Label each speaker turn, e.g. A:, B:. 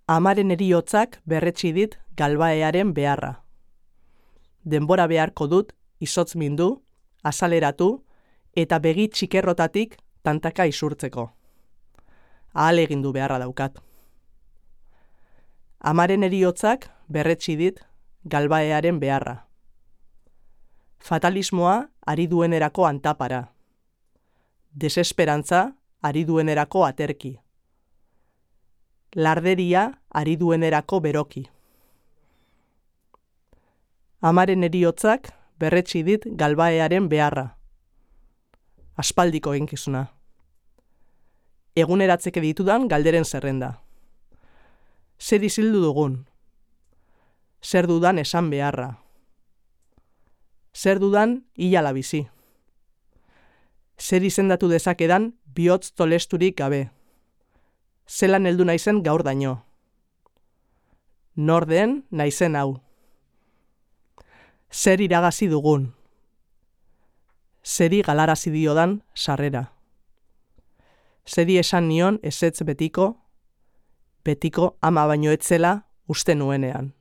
A: Amaren heriotzak berretsi dit galbaearen beharra. Denbora beharko dut izotz mindu, azaleratu eta begi txikerrotatik tantaka isurtzeko. Ahal egindu beharra daukat. Amaren heriotzak berretsi dit galbaearen beharra. Fatalismoa ari duenerako antapara. Desesperantza ari duenerako aterki. Larderia ari duenerako beroki. Amaren heriotzak berretsi dit galbaearen beharra. Aspaldiko eginkizuna. Eguneratzeke ditudan galderen zerrenda. Zer izildu dugun? Zer dudan esan beharra? Zer dudan hilala bizi? Zer izendatu dezakedan bihotz tolesturik gabe? Zelan heldu naizen gaur daño? Nor den naizen hau? Zer iragazi dugun? Zeri galarazi diodan sarrera? Zeri esan nion ezetz betiko ama baino etzela uste nuenean.